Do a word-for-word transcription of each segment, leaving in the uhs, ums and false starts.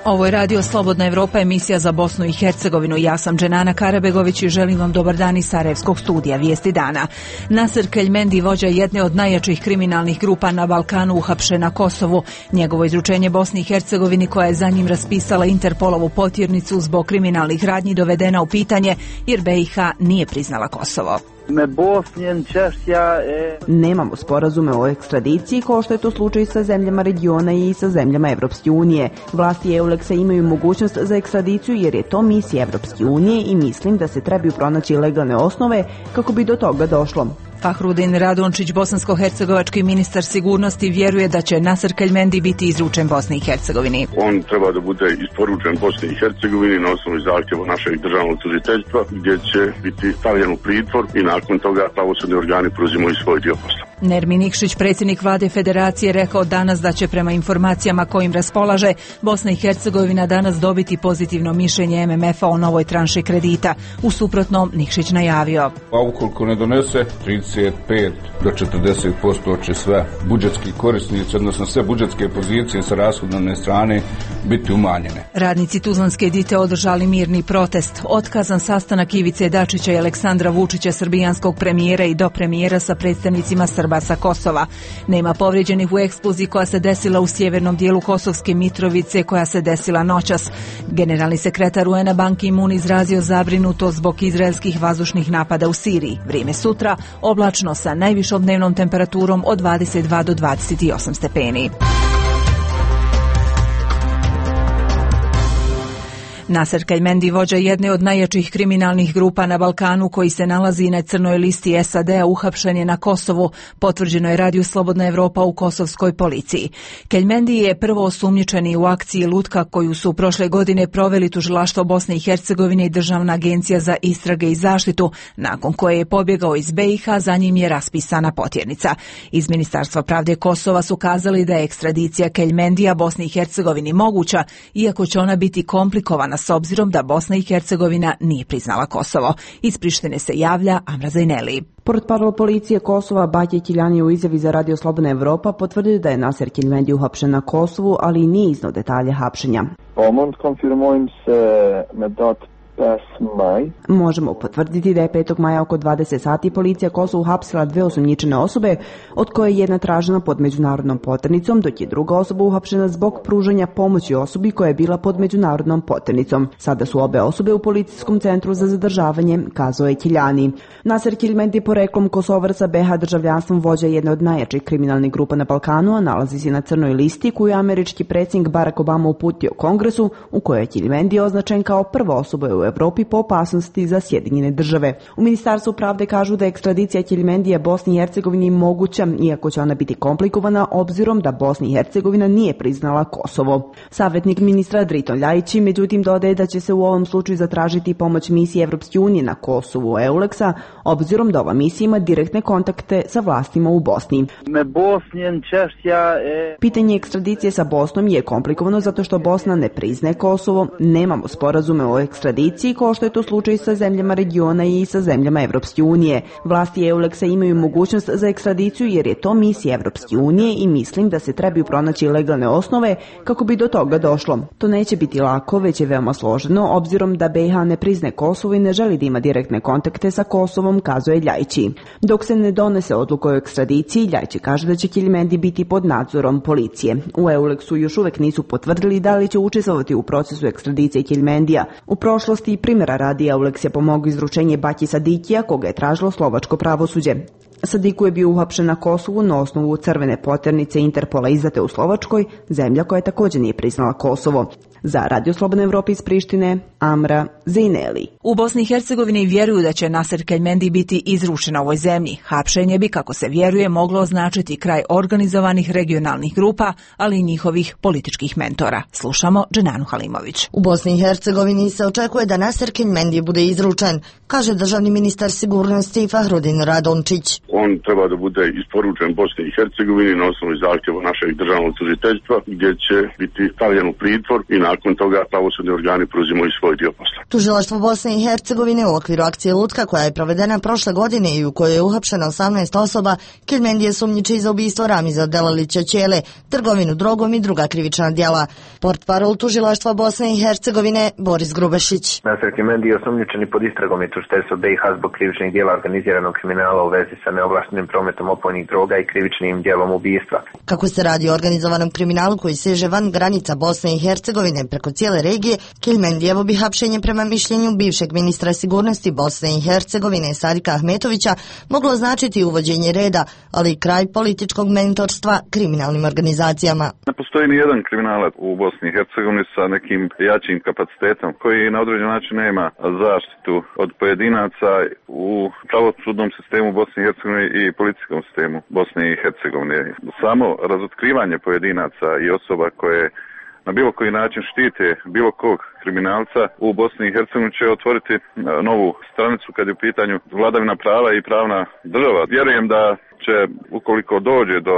Ovo je Radio Slobodna Evropa, emisija za Bosnu i Hercegovinu. Ja sam Dženana Karabegović i želim vam dobar dan iz Sarajevskog studija Vijesti dana. Nasir Keljmendi, vođa jedne od najjačih kriminalnih grupa na Balkanu, uhapšen na Kosovu. Njegovo izručenje Bosni i Hercegovini, koja je za njim raspisala Interpolovu potjernicu zbog kriminalnih radnji, dovedena u pitanje jer B i H nije priznala Kosovo. Nemamo sporazume o ekstradiciji kao što je to slučaj sa zemljama regiona i sa zemljama Evropske unije. Vlasti Euleksa imaju mogućnost za ekstradiciju jer je to misija Evropske unije i mislim da se trebaju pronaći legalne osnove kako bi do toga došlo. Fahrudin Radončić, bosansko-hercegovački ministar sigurnosti, vjeruje da će Nasir Keljmendi biti izručen Bosni i Hercegovini. On treba da bude isporučen Bosni i Hercegovini na osnovu zahtjeva našeg državnog tužiteljstva, gdje će biti stavljen u pritvor i nakon toga pravosudni organi preuzimaju svoj dio posla. Nermin Nikšić, predsjednik vlade Federacije, rekao danas da će prema informacijama kojim raspolaže Bosna i Hercegovina danas dobiti pozitivno mišljenje M M F-a o novoj tranši kredita. U suprotnom, Nikšić najavio: a ukoliko ne donese, trideset pet do četrdeset posto će sve budžetski korisnici, odnosno sve budžetske pozicije sa rashodovne strane biti umanjene. Radnici Tuzlanske Dite održali mirni protest. Otkazan sastanak Ivice Dačića i Aleksandra Vučića, srbijanskog premijera i dopremijera, sa predstavnicima Srba sa Kosova. Nema povrijeđenih u eksploziji koja se desila u sjevernom dijelu Kosovske Mitrovice, koja se desila noćas. Generalni sekretar U N-a Ban Ki-moon izrazio zabrinutost zbog izraelskih vazdušnih napada u Siriji. Vrijeme sutra oblačno sa najvišom dnevnom temperaturom od dvadeset dva do dvadeset osam stepeni. Nasir Keljmendi, vođa jedne od najjačih kriminalnih grupa na Balkanu, koji se nalazi na crnoj listi S A D-a, uhapšen je na Kosovu, potvrđeno je Radio Slobodna Evropa u kosovskoj policiji. Keljmendi je prvo osumnjičeni u akciji Lutka, koju su prošle godine proveli tužilaštvo Bosne i Hercegovine i Državna agencija za istrage i zaštitu, nakon koje je pobjegao iz B i H, za njim je raspisana potjernica. Iz Ministarstva pravde Kosova su kazali da je ekstradicija Keljmendija Bosni i Hercegovini moguća, iako će ona biti komplikovana s obzirom da Bosna i Hercegovina nije priznala Kosovo. Iz Prištine se javlja Amra Zajneli. Portparol policije Kosova Batje Kiljani u izjavi za Radio Slobodna Evropa potvrdio da je Nasir Keljmendi uhapšen na Kosovu, ali nije iznao detalje hapšenja. Možemo potvrditi da je petog maja oko dvadeset sati policija Kosovu uhapsila dve osumnjičene osobe, od koje je jedna tražena pod međunarodnom poternicom, dok je druga osoba uhapšena zbog pružanja pomoći osobi koja je bila pod međunarodnom poternicom. Sada su obe osobe u policijskom centru za zadržavanje, kazao je Kiljani. Nasir Keljmendi, poreklom Kosovar sa B H državljanstvom, vođa jedne od najjačih kriminalnih grupa na Balkanu, a nalazi se na crnoj listi koju je američki predsjednik Barack Obama uputio Kongresu, u kojoj je Keljmendi označen kao prva osoba u Evropi po opasnosti za Sjedinjene države. U Ministarstvu pravde kažu da je ekstradicija Keljmendija Bosni i Hercegovini moguća, iako će ona biti komplikovana obzirom da Bosna i Hercegovina nije priznala Kosovo. Savjetnik ministra Driton Ljajić međutim dodaje da će se u ovom slučaju zatražiti pomoć misije Evropske unije na Kosovu Euleksa, obzirom da ova misija ima direktne kontakte sa vlastima u Bosni. Pitanje ekstradicije sa Bosnom je komplikovano zato što Bosna ne priznaje Kosovo, nemamo sporazume o ekstradiciji kao što je to slučaj sa zemljama regiona i sa zemljama Evropske unije. Vlasti Euleksa imaju mogućnost za ekstradiciju jer je to misija Evropske unije i mislim da se trebaju pronaći legalne osnove kako bi do toga došlo. To neće biti lako, već je veoma složeno, obzirom da B i H ne priznaje Kosovo i ne želi da ima direktne kontakte sa Kosovom, kazuje Ljajići. Dok se ne donese odluka o ekstradiciji, Ljajići kaže da će Keljmendi biti pod nadzorom policije. U Euleksu još uvek nisu potvrdili da li će učestvovati u procesu ekstradicije Keljmendija. U prošlosti i primjera radi Euleks je pomogao izručenje Batji Sadikija, koga je tražilo slovačko pravosuđe. Sadiku je bio uhapšen na Kosovu na osnovu crvene poternice Interpola izdate u Slovačkoj, zemlja koja također nije priznala Kosovo. Za Radio Slobodna Evropa iz Prištine, Amra Zajneli. U Bosni i Hercegovini vjeruju da će Nasir Keljmendi biti izručen ovoj zemlji. Hapšenje bi, kako se vjeruje, moglo označiti kraj organizovanih regionalnih grupa, ali i njihovih političkih mentora. Slušamo Dženanu Halimović. U Bosni i Hercegovini se očekuje da Nasir Keljmendi bude izručen, kaže državni ministar sigurnosti Fahrudin Radončić. On treba da bude isporučen Bosni i Hercegovini na osnovu zahtjeva našeg državnog tužiteljstva, gdje će biti stavljen u pritvor i nakon toga pravosudni organi preuzimaju svoj dio posla. Tužilaštvo Bosne i Hercegovine u okviru akcije Lutka, koja je provedena prošle godine i u kojoj je uhapšeno osamnaest osoba, Keljmendije sumnjiči za ubistvo Ramiza Delalića Ćele, trgovinu drogom i druga krivična djela. Portparol Tužilaštva Bosne i Hercegovine Boris Grubešić. Nasir Keljmendije je osumnjičeni pod istragom i tužiteljstvo B i H zbog krivičnih djela organiziranog kriminala u vezi sa neovlaštenim prometom opojnih droga i krivičnim djelom ubistva. Kako se radi o organizovanom kriminalu koji seže van granica Bosne i Hercegovine preko cijele regije, Keljmendijevo bi hapšenje prema mišljenju bivšeg ministra sigurnosti Bosne i Hercegovine Sadika Ahmetovića moglo značiti uvođenje reda, ali i kraj političkog mentorstva kriminalnim organizacijama. Ne postoji ni jedan kriminalac u Bosni i Hercegovini sa nekim jačim kapacitetom koji na određen način nema zaštitu od pojedinaca u pravosudnom sistemu Bosne i Hercegovine i policijskom sistemu Bosne i Hercegovine. Samo razotkrivanje pojedinaca i osoba koje na bilo koji način štite bilo kog kriminalca u Bosni i Hercegovini će otvoriti novu stranicu kad je u pitanju vladavina prava i pravna država. Vjerujem da će, ukoliko dođe do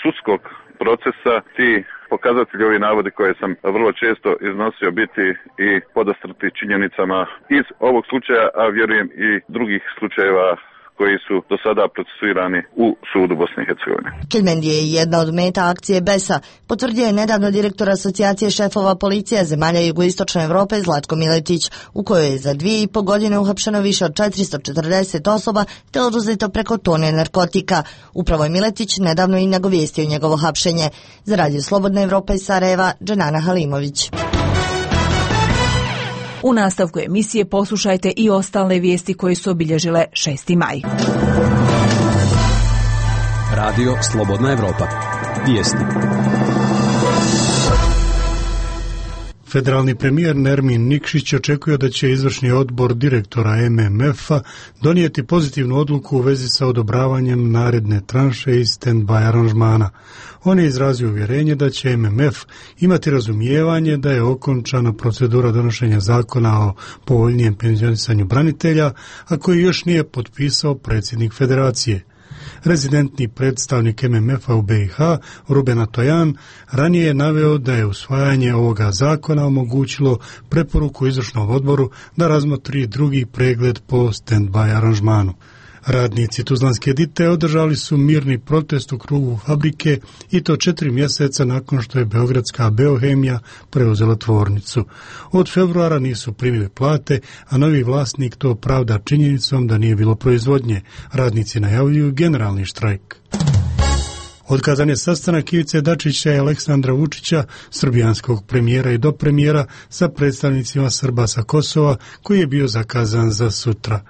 sudskog procesa, ti pokazatelji, ovi navodi koje sam vrlo često iznosio, biti i podastrti činjenicama iz ovog slučaja, a vjerujem i drugih slučajeva koji su do sada procesuirani u sudu Bosne i Hercegovine. Keljmendije je jedna od meta akcije B E S A, potvrdio je nedavno direktor Asocijacije šefova policija zemalja jugoistočne Evrope Zlatko Miletić, u kojoj je za dvije i po godine uhapšeno više od četiristo četrdeset osoba te oduzeto preko tone narkotika. Upravo je Miletić nedavno i nagovijestio njegovo hapšenje. Za Radio Slobodna Evropa iz Sarajeva, Dženana Halimović. U nastavku emisije poslušajte i ostale vijesti koje su obilježile šesti maj. Radio Slobodna Evropa. Vijesti. Federalni premijer Nermin Nikšić očekuje da će izvršni odbor direktora M M F-a donijeti pozitivnu odluku u vezi sa odobravanjem naredne tranše iz stand-by aranžmana. On je izrazio uvjerenje da će M M F imati razumijevanje da je okončana procedura donošenja zakona o povoljnijem penzionisanju branitelja, a koji još nije potpisao predsjednik federacije. Rezidentni predstavnik M M F-a u B i H, Ruben Tojan, ranije je naveo da je usvajanje ovoga zakona omogućilo preporuku izvršnom odboru da razmotri drugi pregled po stand-by aranžmanu. Radnici Tuzlanske Dite održali su mirni protest u krugu fabrike i to četiri mjeseca nakon što je beogradska Beohemija preuzela tvornicu. Od februara nisu primili plate, a novi vlasnik to pravda činjenicom da nije bilo proizvodnje. Radnici najavljuju generalni štrajk. Otkazan je sastanak Ivice Dačića i Aleksandra Vučića, srbijanskog premijera i dopremijera, sa predstavnicima Srba sa Kosova, koji je bio zakazan za sutra.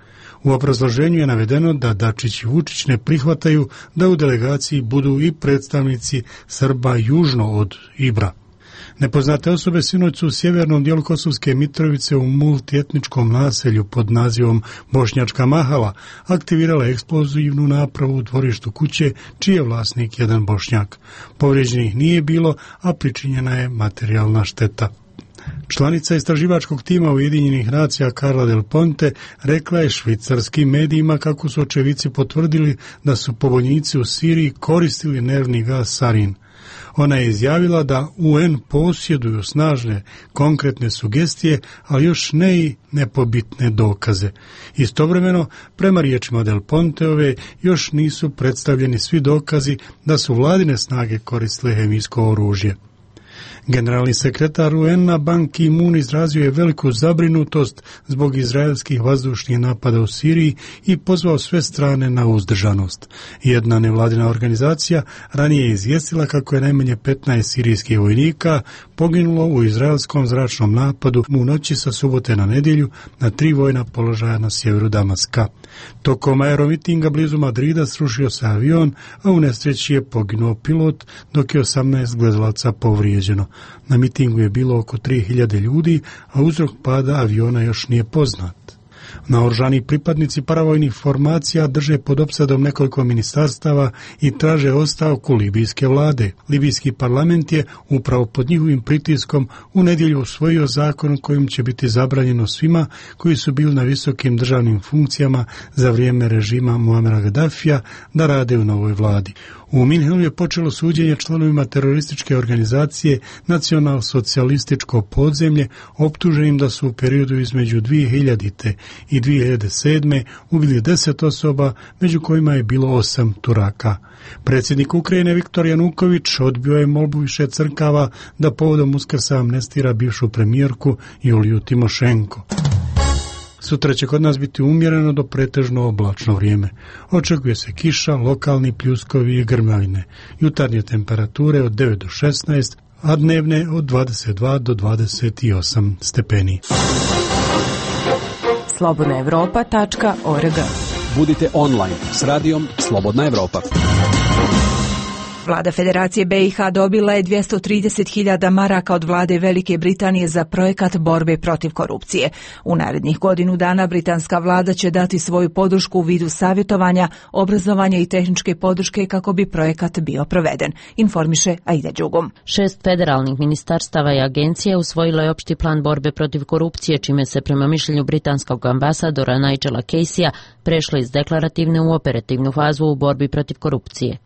U obrazloženju je navedeno da Dačić i Vučić ne prihvataju da u delegaciji budu i predstavnici Srba južno od Ibra. Nepoznate osobe sinoć su u sjevernom dijelu Kosovske Mitrovice u multietničkom naselju pod nazivom Bošnjačka Mahala aktivirala eksplozivnu napravu u dvorištu kuće, čiji je vlasnik jedan Bošnjak. Povrijeđenih nije bilo, a pričinjena je materijalna šteta. Članica istraživačkog tima Ujedinjenih nacija Carla Del Ponte rekla je švicarskim medijima kako su očevici potvrdili da su pobunjenici u Siriji koristili nervni gas sarin. Ona je izjavila da U N posjeduju snažne konkretne sugestije, ali još ne i nepobitne dokaze. Istovremeno, prema riječima Del Ponteove, još nisu predstavljeni svi dokazi da su vladine snage koristile hemijsko oružje. Generalni sekretar U N-a Ban Ki-moon izrazio je veliku zabrinutost zbog izraelskih vazdušnih napada u Siriji i pozvao sve strane na uzdržanost. Jedna nevladina organizacija ranije je izvijestila kako je najmanje petnaest sirijskih vojnika poginulo u izraelskom zračnom napadu u noći sa subote na nedjelju na tri vojna položaja na sjeveru Damaska. Tokom aeromitinga blizu Madrida srušio se avion, a u nesreći je poginuo pilot, dok je osamnaest gledalaca povrijeđeno. Na mitingu je bilo oko tri hiljade ljudi, a uzrok pada aviona još nije poznat. Naoružani pripadnici paravojnih formacija drže pod opsadom nekoliko ministarstava i traže ostavku libijske vlade. Libijski parlament je upravo pod njihovim pritiskom u nedjelju usvojio zakon kojim će biti zabranjeno svima koji su bili na visokim državnim funkcijama za vrijeme režima Muamera Gaddafija da rade u novoj vladi. U Minhenu je počelo suđenje članovima terorističke organizacije Nacional-socijalističko podzemlje, optuženim da su u periodu između dvije hiljadite i dvije hiljade sedme ubili deset osoba, među kojima je bilo osam Turaka. Predsjednik Ukrajine Viktor Januković odbio je molbu više crkava da povodom Uskrsa amnestira bivšu premijerku Juliju Timošenko. Sutra će kod nas biti umjereno do pretežno oblačno vrijeme. Očekuje se kiša, lokalni pljuskovi i grmavine. Jutarnje temperature od devet do šesnaest, a dnevne od dvadeset dva do dvadeset osam stepeni. slobodna evropa tačka org. Budite online s radijom Slobodna Evropa. Vlada Federacije B i H dobila je dvjesto trideset hiljada maraka od vlade Velike Britanije za projekat borbe protiv korupcije. U narednih godinu dana britanska vlada će dati svoju podršku u vidu savjetovanja, obrazovanja i tehničke podrške kako bi projekat bio proveden, informiše Aida Đugum. Šest federalnih ministarstava i agencije usvojilo je opšti plan borbe protiv korupcije, čime se prema mišljenju britanskog ambasadora Nigela Caseya prešlo iz deklarativne u operativnu fazu u borbi protiv korupcije.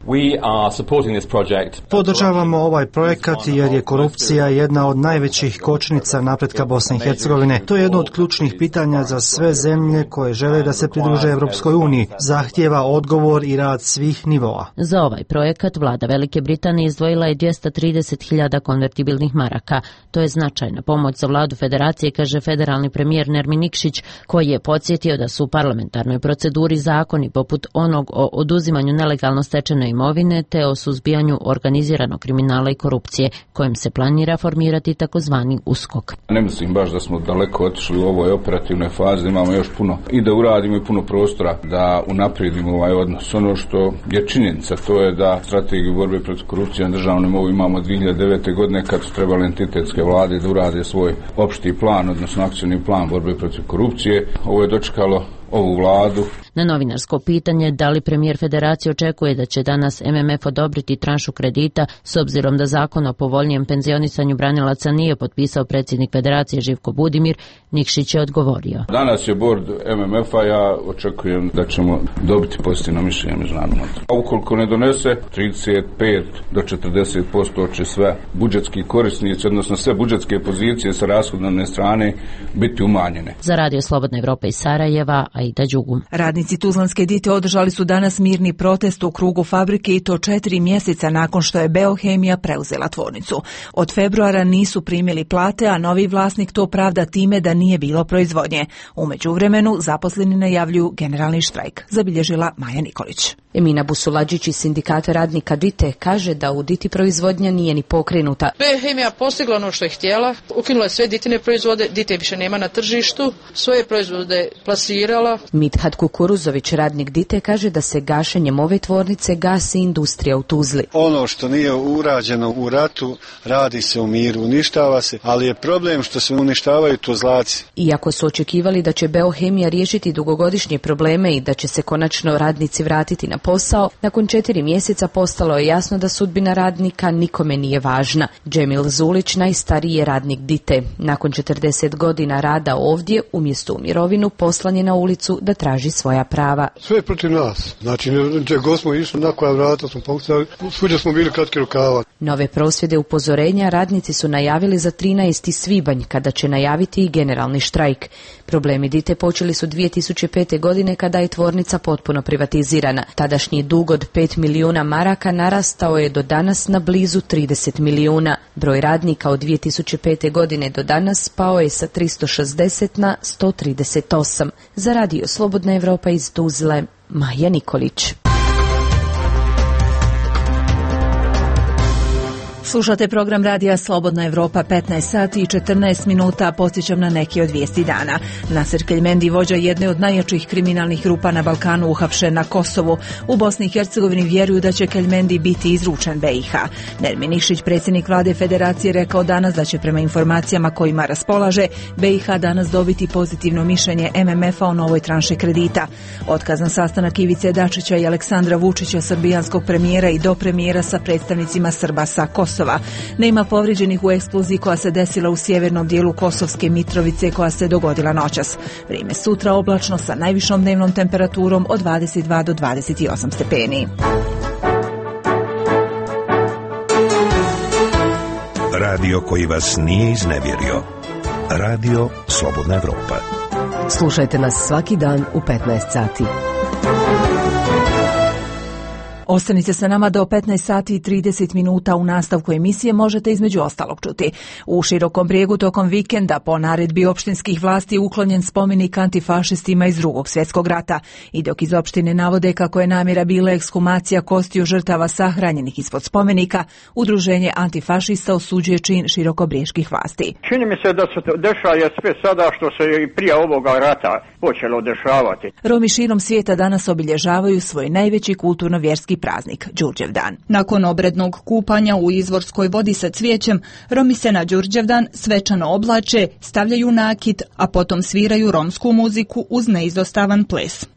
Podržavamo ovaj projekat jer je korupcija jedna od najvećih kočnica napretka Bosne i Hercegovine. To je jedno od ključnih pitanja za sve zemlje koje žele da se pridruže Evropskoj uniji. Zahtijeva odgovor i rad svih nivoa. Za ovaj projekat vlada Velike Britanije izdvojila je dvjesto trideset hiljada konvertibilnih maraka. To je značajna pomoć za vladu federacije, kaže federalni premijer Nermin Nikšić, koji je podsjetio da su u parlamentarnoj proceduri zakoni poput onog o oduzimanju nelegalno stečene imovine te o suzbijanju organiziranog kriminala i korupcije, kojim se planira formirati takozvani USKOK. Ne mislim baš da smo daleko otišli u ovoj operativnoj fazi, imamo još puno i da uradimo i puno prostora da unaprijedimo ovaj odnos. Ono što je činjenica, to je da strategiju borbe protiv korupcije na državnom nivou imamo dvije hiljade devete. godine kad su trebali entitetske vlade da urade svoj opšti plan, odnosno akcioni plan borbe protiv korupcije. Ovo je dočekalo ovu vladu. Na novinarsko pitanje da li premijer federacije očekuje da će danas M M F odobriti tranšu kredita s obzirom da zakon o povoljnijem penzionisanju branilaca nije potpisao predsjednik federacije Živko Budimir, Nikšić je odgovorio. Danas je bord M M F-a, ja očekujem da ćemo dobiti pozitivno mišljenje međunarodnog monetara. A ukoliko ne donese, trideset pet do četrdeset posto će sve budžetski korisnici, odnosno sve budžetske pozicije sa rashodovne strane biti umanjene. Za Radio Slobodna Evropa iz Sarajeva, Aida Đugum. Radnici Tuzlanske Dite održali su danas mirni protest u krugu fabrike i to četiri mjeseca nakon što je Beohemija preuzela tvornicu. Od februara nisu primili plate, a novi vlasnik to pravda time da nije bilo proizvodnje. U međuvremenu zaposleni najavljuju generalni štrajk, zabilježila Maja Nikolić. Emina Busuladžić iz sindikata radnika Dite kaže da u Diti proizvodnja nije ni pokrenuta. Beohemija postigla ono što je htjela, ukinula je sve Ditine proizvode, Dite više nema na tržištu, svoje proizvode plasirala. Midhat Kukuruzović, radnik Dite, kaže da se gašenjem ove tvornice gasi industrija u Tuzli. Ono što nije urađeno u ratu radi se u miru, uništava se, ali je problem što se uništavaju Tuzlaci. Iako su očekivali da će Beohemija riješiti dugogodišnje probleme i da će se konačno radnici vratiti na posao, nakon četiri mjeseca postalo je jasno da sudbina radnika nikome nije važna. Džemil Zulić, najstariji je radnik Dite. Nakon četrdeset godina rada ovdje, umjesto u mirovinu, poslan je na ulicu da traži svoja prava. Sve je protiv nas. Znači, gdje god smo išli, na koja vrata smo pokucali, svuđa smo bili kratki rukava. Nove prosvjede upozorenja radnici su najavili za trinaesti svibanj, kada će najaviti i generalni štrajk. Problemi Dite počeli su dvije tisuće pete. godine kada je tvornica potpuno privatizirana. Tadašnji dug od pet milijuna maraka narastao je do danas na blizu trideset milijuna. Broj radnika od dvije tisuće pete. godine do danas pao je sa tristo šezdeset na sto trideset osam. Za Radio Slobodna Evropa iz Tuzle, Maja Nikolić. Slušate program radija Slobodna Evropa, petnaest sati i četrnaest minuta, podsjećam na neke od vijesti dana. Nasser Keljmendi, vođa jedne od najjačih kriminalnih grupa na Balkanu, uhapšen na Kosovu. U Bosni i Hercegovini vjeruju da će Keljmendi biti izručen B i H. Nermin Nikšić, predsjednik vlade federacije, rekao danas da će prema informacijama kojima raspolaže B i H danas dobiti pozitivno mišljenje M M F-a o novoj tranši kredita. Otkazan sastanak Ivice Dačića i Aleksandra Vučića, srbijanskog premijera i dopremijera sa predstavnicima Srba sa Kosova. Nema povrijeđenih u eksploziji koja se desila u sjevernom dijelu Kosovske Mitrovice koja se dogodila noćas. Vrijeme sutra oblačno sa najvišom dnevnom temperaturom od dvadeset dva do dvadeset osam stepeni. Radio koji vas nije iznevjerio. Radio Slobodna Evropa. Slušajte nas svaki dan u petnaest sati. Ostanite sa nama do petnaest sati i trideset minuta. U nastavku emisije možete između ostalog čuti. U Širokom Brijegu tokom vikenda po naredbi opštinskih vlasti uklonjen spomenik antifašistima iz Drugog svjetskog rata. I dok iz opštine navode kako je namjera bila ekshumacija kostiju žrtava sahranjenih ispod spomenika, udruženje antifašista osuđuje čin širokobrijeških vlasti. Čini mi se da se dešava sve sada što se i prije ovoga rata počelo dešavati. Romi širom svijeta danas obilježavaju svoj najveći kulturno-vjerski praznik, Đurđevdan. Nakon obrednog kupanja u izvorskoj vodi sa cvijećem, Romi se na Đurđevdan svečano oblače, stavljaju nakit, a potom sviraju romsku muziku uz neizostavan ples.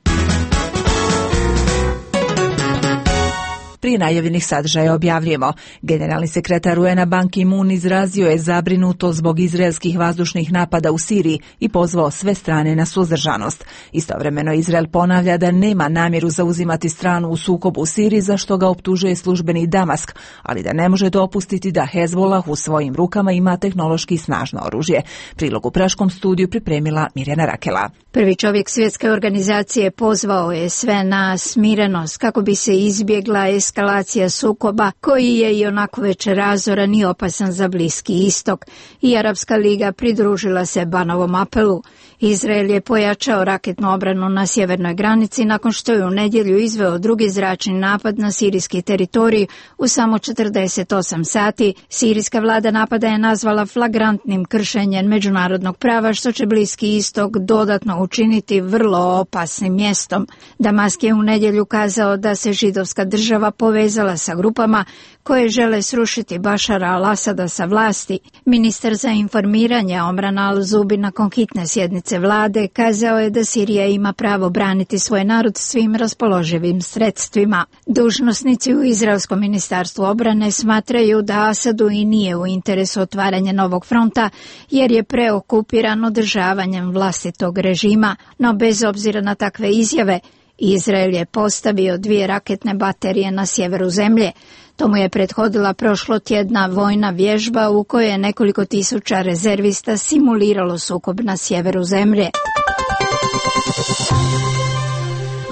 Prije najavljenih sadržaja objavljujemo. Generalni sekretar U N-a Ban Ki-moon izrazio je zabrinuto zbog izraelskih vazdušnih napada u Siriji i pozvao sve strane na suzdržanost. Istovremeno Izrael ponavlja da nema namjeru zauzimati stranu u sukobu u Siriji, za što ga optužuje službeni Damask, ali da ne može dopustiti da Hezbollah u svojim rukama ima tehnološki snažno oružje. Prilog u Praškom studiju pripremila Mirjana Rakela. Prvi čovjek svjetske organizacije pozvao je sve na smirenost kako bi se izbjegla eskalacija sukoba koji je i onako već razoran i opasan za Bliski istok, i Arapska liga pridružila se Banovom apelu. Izrael je pojačao raketnu obranu na sjevernoj granici nakon što je u nedjelju izveo drugi zračni napad na sirijski teritorij u samo četrdeset osam sati. Sirijska vlada napada je nazvala flagrantnim kršenjem međunarodnog prava, što će Bliski istok dodatno učiniti vrlo opasnim mjestom. Damask je u nedjelju kazao da se židovska država povezala sa grupama koje žele srušiti Bašara al-Asada sa vlasti. Ministar za informiranje Omran al-Zubi nakon hitne sjednice vlade kazao je da Sirija ima pravo braniti svoj narod svim raspoloživim sredstvima. Dužnosnici u Izraelskom ministarstvu obrane smatraju da Asadu i nije u interesu otvaranja novog fronta, jer je preokupiran održavanjem vlastitog režima, no bez obzira na takve izjave, Izrael je postavio dvije raketne baterije na sjeveru zemlje. Tomu je prethodila prošlotjedna vojna vježba u kojoj je nekoliko tisuća rezervista simuliralo sukob na sjeveru zemlje.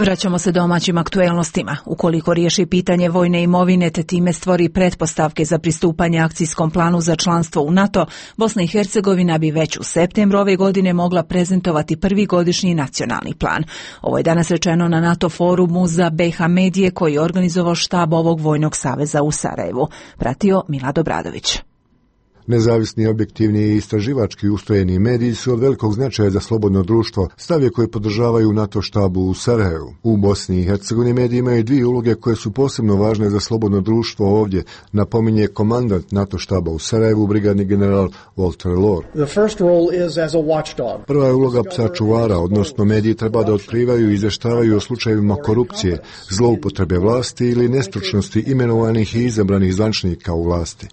Vraćamo se domaćim aktuelnostima. Ukoliko riješi pitanje vojne imovine te time stvori pretpostavke za pristupanje akcijskom planu za članstvo u NATO, Bosna i Hercegovina bi već u septembru ove godine mogla prezentovati prvi godišnji nacionalni plan. Ovo je danas rečeno na NATO forumu za B i H medije koji je organizovao štab ovog vojnog saveza u Sarajevu. Pratio Milad Obradović. Nezavisni, objektivni i istraživački ustrojeni mediji su od velikog značaja za slobodno društvo, stavje koje podržavaju NATO štabu u Sarajevu. U Bosni i Hercegovini mediji imaju dvije uloge koje su posebno važne za slobodno društvo ovdje, napominje komandant NATO štaba u Sarajevu, brigadni general Walter Lohr. Prva je uloga psa čuvara, odnosno mediji treba da otkrivaju i izvještavaju o slučajevima korupcije, zloupotrebe vlasti ili nestručnosti imenovanih i izabranih zvančnika u vlasti.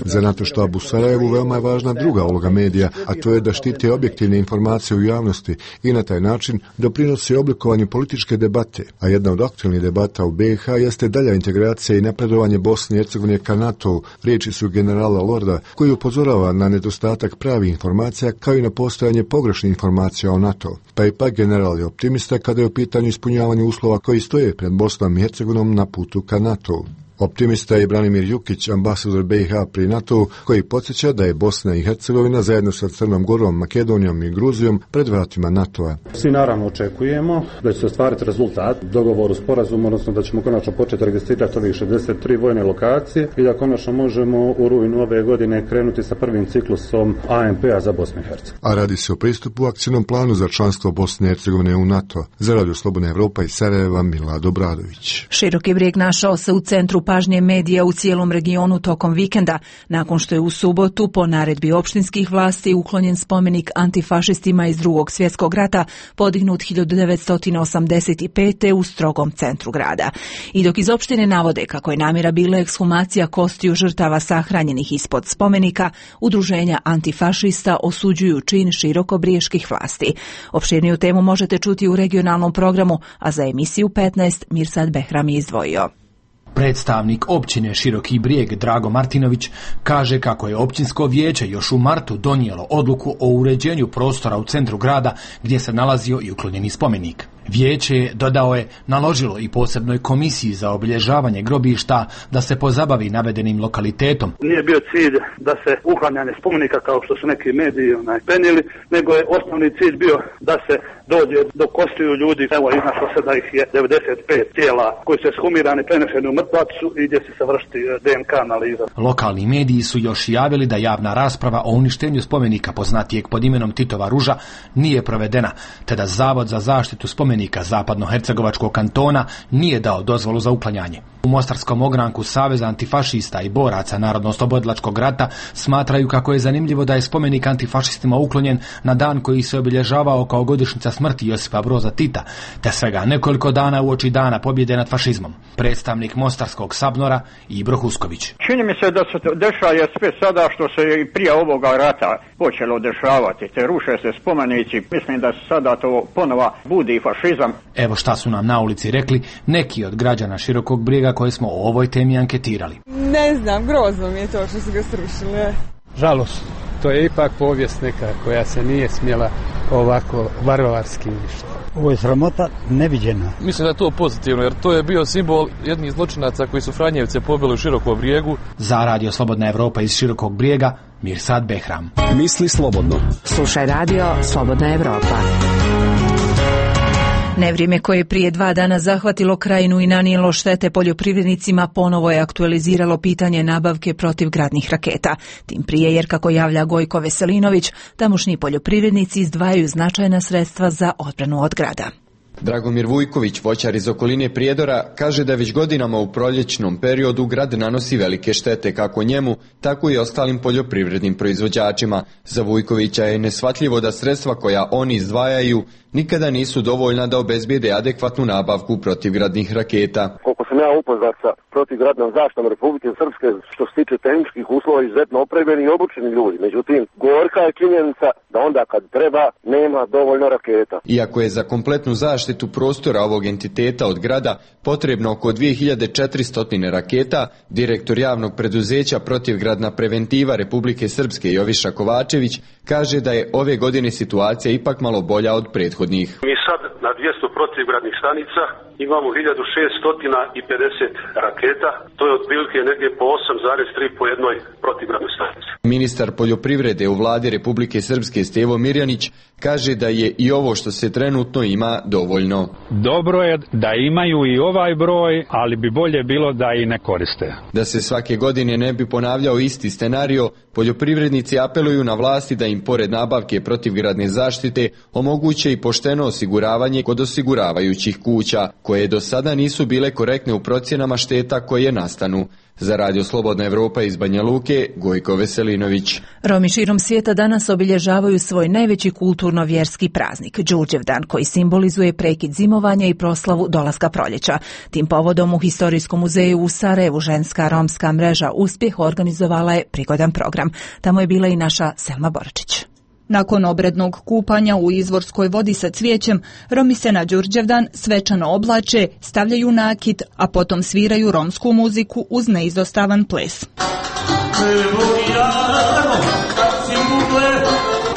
Za NATO štab u Sarajevu veoma je važna druga uloga medija, a to je da štite objektivne informacije u javnosti i na taj način doprinosi oblikovanju političke debate. A jedna od aktualnih debata u B i H jeste dalja integracija i napredovanje Bosne i Hercegovine ka NATO-u, riječi su generala Lorda, koji upozorava na nedostatak pravih informacija kao i na postojanje pogrešnih informacija o NATO. Pa ipak general je optimista kada je u pitanju ispunjavanje uslova koji stoje pred Bosnom i Hercegovinom na putu ka NATO-u. Optimista je Branimir Jukić, ambasador B i H pri NATO, koji podsjeća da je Bosna i Hercegovina zajedno sa Crnom Gorom, Makedonijom i Gruzijom pred vratima NATO-a. Svi naravno očekujemo da će se ostvariti rezultat dogovoru sporazuma, odnosno da ćemo konačno početi registrirati ovih šezdeset tri vojne lokacije i da konačno možemo u rujnu ove godine krenuti sa prvim ciklusom A M P-a za Bosnu i Hercegovinu. A radi se o pristupu akcijnom planu za članstvo Bosne i Hercegovine u NATO. Za Radio Slobodna Evropa iz Sarajeva, Milad Obradović. Široki Brijeg našao se u centru pažnje medija u cijelom regionu tokom vikenda, nakon što je u subotu po naredbi opštinskih vlasti uklonjen spomenik antifašistima iz Drugog svjetskog rata podignut hiljadu devetsto osamdeset pete. u strogom centru grada. I dok iz opštine navode kako je namjera bila ekshumacija kostiju žrtava sahranjenih ispod spomenika, udruženja antifašista osuđuju čin širokobrijeških vlasti. Opširniju temu možete čuti u regionalnom programu, a za emisiju petnaest Mirsad Behram je izdvojio. Predstavnik općine Široki Brijeg Drago Martinović kaže kako je općinsko vijeće još u martu donijelo odluku o uređenju prostora u centru grada gdje se nalazio i uklonjeni spomenik. Vijeće, dodao je, naložilo i posebnoj komisiji za obilježavanje grobišta da se pozabavi navedenim lokalitetom. Nije bio cilj da se uklanjanje spomenika kao što su neki mediji onaj penili, nego je osnovni cilj bio da se dođe do kostiju ljudi. Evo, iznašlo se da ih je devedeset pet tijela koji su ekshumirani, prenešeni u mrtvacu i gdje će se vršiti D N K analiza. Lokalni mediji su još javili da javna rasprava o uništenju spomenika poznatijeg pod imenom Titova ruža nije provedena, te da Zavod za zaštitu spomenika Zapadnohercegovačkog kantona nije dao dozvolu za uklanjanje. U Mostarskom ogranku Saveza antifašista i boraca Narodno-oslobodilačkog rata smatraju kako je zanimljivo da je spomenik antifašistima uklonjen na dan koji se obilježavao kao godišnjica smrti Josipa Broza Tita, te svega nekoliko dana uoči dana pobjede nad fašizmom. Predstavnik Mostarskog Sabnora Ibro Husković. Čini mi se da se dešava sve sada što se i prije ovoga rata počelo dešavati, te ruše se spomenici. Mislim da se sada to ponova budi fašizam. Evo šta su nam na ulici rekli neki od građana Širokog Brijega koje smo o ovoj temi anketirali. Ne znam, grozno mi je to što su ga srušili. Žalost, to je ipak povijest neka koja se nije smjela ovako varvarski ništa. Ovo je sramota neviđena. Mislim da je to pozitivno, jer to je bio simbol jednih zločinaca koji su Franjevce pobili u Širokom Brijegu. Za Radio Slobodna Evropa iz Širokog Brijega, Mirsad Behram. Misli slobodno. Slušaj Radio Slobodna Evropa. Nevrijeme koje je prije dva dana zahvatilo krajinu i nanijelo štete poljoprivrednicima ponovo je aktualiziralo pitanje nabavke protivgradnih raketa. Tim prije jer, kako javlja Gojko Veselinović, tamošnji poljoprivrednici izdvajaju značajna sredstva za odbranu od grada. Dragomir Vujković, voćar iz okoline Prijedora, kaže da već godinama u proljećnom periodu grad nanosi velike štete kako njemu, tako i ostalim poljoprivrednim proizvođačima. Za Vujkovića je neshvatljivo da sredstva koja oni izdvajaju nikada nisu dovoljna da obezbijede adekvatnu nabavku protivgradnih raketa. Koliko sam ja upoznat sa protivgradnom zaštitom Republike Srpske, što se tiče tehničkih uslova, izuzetno opremljeni i obučeni ljudi. Međutim, gorka je činjenica da onda kad treba nema dovoljno raketa. Iako je za kompletnu zaštitu prostora ovog entiteta od grada potrebno oko dvije hiljade četiristo raketa, direktor javnog preduzeća Protivgradna preventiva Republike Srpske Joviša Kovačević kaže da je ove godine situacija ipak malo bolja od prethodnih. Mi sad na dvjesto protivgradnih stanica imamo hiljadu šeststo pedeset raketa, to je otprilike negdje po osam zarez tri po jednoj protivgradnoj stanici. Ministar poljoprivrede u vladi Republike Srpske Stevo Mirjanić kaže da je i ovo što se trenutno ima dovoljno. Dobro je da imaju i ovaj broj, ali bi bolje bilo da i ne koriste. Da se svake godine ne bi ponavljao isti scenario, poljoprivrednici apeluju na vlasti da im pored nabavke protivgradne zaštite omoguće i pošteno osiguravanje kod osiguravajućih kuća, koje do sada nisu bile korektne u procjenama šteta koje nastanu. Za Radio Slobodna Evropa iz Banja Luke, Gojko Veselinović. Romi širom svijeta danas obilježavaju svoj najveći kulturno-vjerski praznik, Đurđevdan, koji simbolizuje prekid zimovanja i proslavu dolaska proljeća. Tim povodom u Historijskom muzeju u Sarajevu ženska romska mreža Uspjeh organizovala je prigodan program. Tamo je bila i naša Selma Boračić. Nakon obrednog kupanja u izvorskoj vodi sa cvijećem, Romi se na Đurđevdan svečano oblače, stavljaju nakit, a potom sviraju romsku muziku uz neizostavan ples.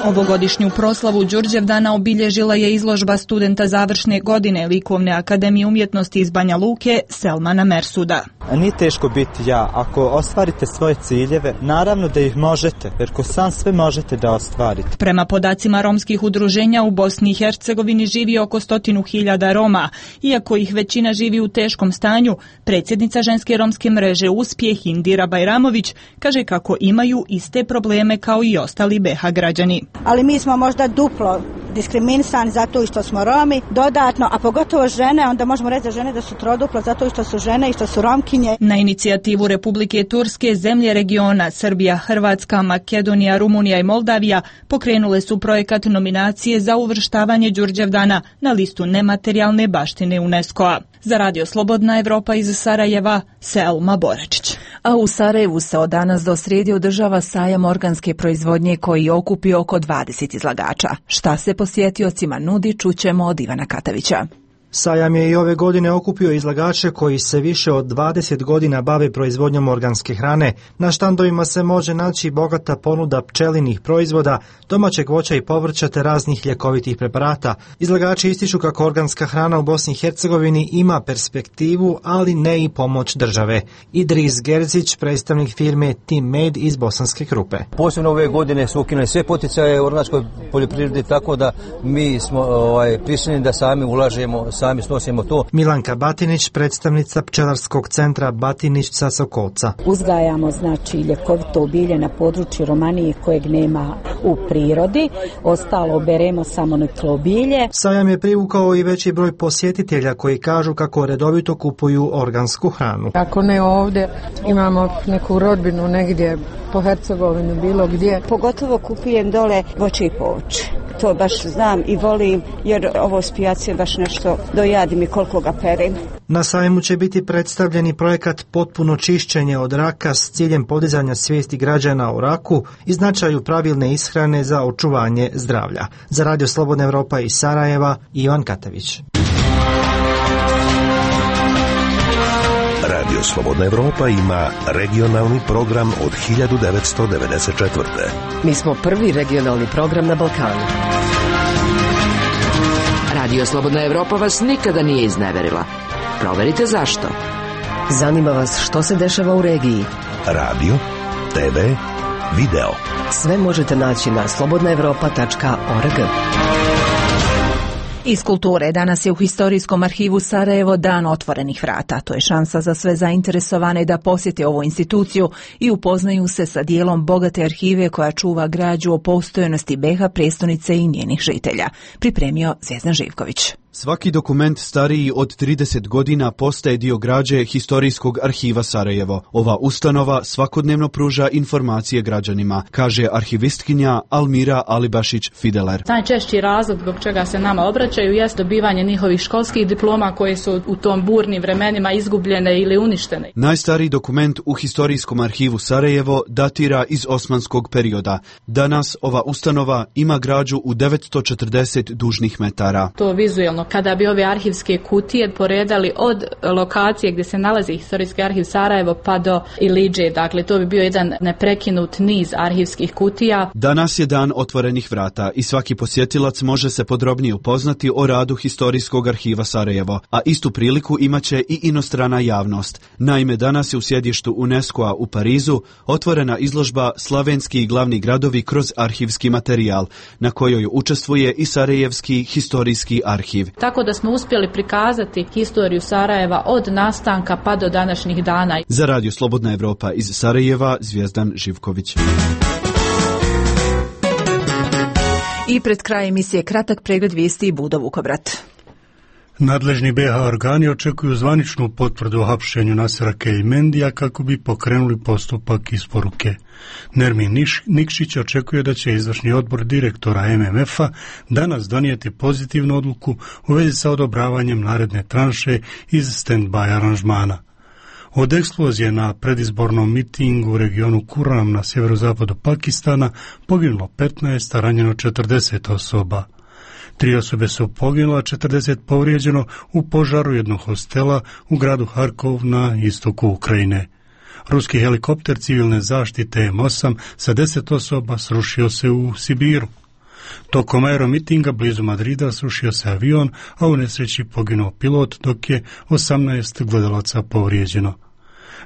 Ovogodišnju proslavu Đurđevdana obilježila je izložba studenta završne godine Likovne akademije umjetnosti iz Banja Luke Selmana Mersuda. Nije teško biti ja. Ako ostvarite svoje ciljeve, naravno da ih možete, jer ko sam sve možete da ostvarite. Prema podacima romskih udruženja u Bosni i Hercegovini živi oko stotinu hiljada Roma. Iako ih većina živi u teškom stanju, predsjednica ženske romske mreže Uspjeh Indira Bajramović kaže kako imaju iste probleme kao i ostali B iH građani. Ali mi smo možda duplo diskriminisani zato što smo Romi, dodatno, a pogotovo žene, onda možemo reći za žene da su troduplo zato što su žene i što su Romkinje. Na inicijativu Republike Turske, zemlje regiona Srbija, Hrvatska, Makedonija, Rumunija i Moldavija pokrenule su projekat nominacije za uvrštavanje Đurđevdana na listu nematerijalne baštine UNESCO-a. Za Radio Slobodna Evropa iz Sarajeva, Selma Borečić. A u Sarajevu se od danas do srijede održava sajam organske proizvodnje koji okupi oko dvadeset izlagača. Šta se posjetiocima nudi, čućemo od Ivana Katavića. Sajam je i ove godine okupio izlagače koji se više od dvadeset godina bave proizvodnjom organske hrane. Na štandovima se može naći bogata ponuda pčelinih proizvoda, domaćeg voća i povrća te raznih ljekovitih preparata. Izlagači ističu kako organska hrana u Bosni i Hercegovini ima perspektivu, ali ne i pomoć države. Idris Gerzić, predstavnik firme Team Made iz Bosanske Krupe. Posebno ove godine su ukinuli sve poticaje u organskoj poljoprivredi, tako da mi smo ovaj, prisiljeni da sami ulažemo, sami snosimo to. Milanka Batinić, predstavnica pčelarskog centra Batinić sa Sokolca. Uzgajamo znači ljekovito bilje na području Romanije kojeg nema u prirodi, ostalo beremo samo neklo bilje. Sajam je privukao i veći broj posjetitelja koji kažu kako redovito kupuju organsku hranu. Ako ne ovdje, imamo neku rodbinu negdje po Hercegovini, bilo gdje. Pogotovo kupujem dole voće i povrće. To baš znam i volim, jer ovo s pijace baš nešto dojadim i koliko ga perim. Na sajmu će biti predstavljeni projekat Potpuno čišćenje od raka s ciljem podizanja svijesti građana o raku i značaju pravilne ishrane za očuvanje zdravlja. Za Radio Slobodna Evropa iz Sarajeva, Ivan Katavić. Radio Slobodna Evropa ima regionalni program od hiljadu devetsto devedeset četvrte. Mi smo prvi regionalni program na Balkanu. Radio Slobodna Evropa vas nikada nije izneverila. Proverite zašto. Zanima vas što se dešava u regiji. Radio, te ve, video. Sve možete naći na slobodna evropa tačka org. Iz kulture danas je u Historijskom arhivu Sarajevo dan otvorenih vrata. To je šansa za sve zainteresovane da posjete ovu instituciju i upoznaju se sa dijelom bogate arhive koja čuva građu o postojanosti B iH prijestolnice i njenih žitelja. Pripremio Zvijezdan Živković. Svaki dokument stariji od trideset godina postaje dio građe Historijskog arhiva Sarajevo. Ova ustanova svakodnevno pruža informacije građanima, kaže arhivistkinja Almira Alibašić-Fideler. Najčešći razlog zbog čega se nama obraćaju jest dobivanje njihovih školskih diploma koje su u tom burnim vremenima izgubljene ili uništene. Najstariji dokument u Historijskom arhivu Sarajevo datira iz osmanskog perioda. Danas ova ustanova ima građu u devetsto četrdeset dužnih metara. To vizuelno, kada bi ove arhivske kutije poredali od lokacije gdje se nalazi Historijski arhiv Sarajevo pa do Ilidže, dakle to bi bio jedan neprekinut niz arhivskih kutija. Danas je dan otvorenih vrata i svaki posjetilac može se podrobnije upoznati o radu Historijskog arhiva Sarajevo, a istu priliku imaće i inostrana javnost. Naime, danas je u sjedištu UNESCO-a u Parizu otvorena izložba Slavenski glavni gradovi kroz arhivski materijal, na kojoj učestvuje i Sarajevski historijski arhiv. Tako da smo uspjeli prikazati historiju Sarajeva od nastanka pa do današnjih dana. Za Radio Slobodna Evropa iz Sarajeva, Zvijezdan Živković. I pred kraj emisije kratak pregled vijesti i Budo Vukobrat. Nadležni B iH organi očekuju zvaničnu potvrdu o hapšenju Nasera Keljmendija kako bi pokrenuli postupak isporuke. Nermin Niš, Nikšić očekuje da će izvršni odbor direktora M M F-a danas donijeti pozitivnu odluku u vezi sa odobravanjem naredne tranše iz stand-by aranžmana. Od eksplozije na predizbornom mitingu u regionu Kuram na sjeverozapadu Pakistana poginulo petnaest, a ranjeno četrdeset osoba. Tri osobe su poginule, a četrdeset povrijeđeno u požaru jednog hostela u gradu Harkov na istoku Ukrajine. Ruski helikopter civilne zaštite M osam sa deset osoba srušio se u Sibiru. Tokom aeromitinga blizu Madrida srušio se avion, a u nesreći poginuo pilot, dok je osamnaest gledalaca povrijeđeno.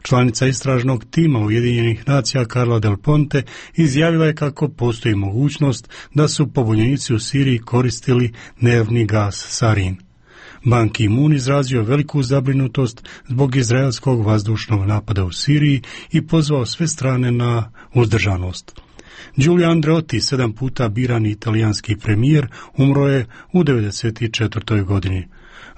Članica istražnog tima Ujedinjenih nacija Carla Del Ponte izjavila je kako postoji mogućnost da su pobunjenici u Siriji koristili nervni gas sarin. Ban Ki-moon izrazio veliku zabrinutost zbog izraelskog vazdušnog napada u Siriji i pozvao sve strane na uzdržanost. Giulio Andreotti, sedam puta birani italijanski premijer, umro je u devedeset četvrtoj godini.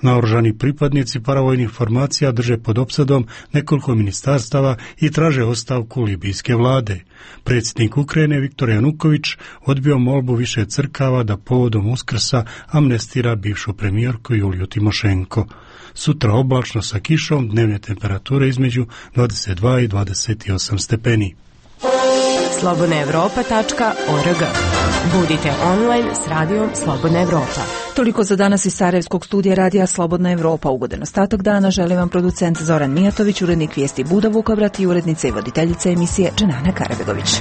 Naoružani pripadnici paravojnih formacija drže pod opsadom nekoliko ministarstava i traže ostavku libijske vlade. Predsjednik Ukrajine Viktor Januković odbio molbu više crkava da povodom Uskrsa amnestira bivšu premijerku Juliju Timošenko. Sutra oblačno sa kišom, dnevne temperature između dvadeset dva i dvadeset osam stepeni. slobodna evropa tačka org. Budite online s radijom Slobodna Evropa. Toliko za danas iz Sarajevskog studija radija Slobodna Evropa. Ugodan ostatak dana želim vam producent Zoran Mijatović, urednik vijesti Buda Vukobrat i urednica i voditeljica emisije Dženana Karabegović.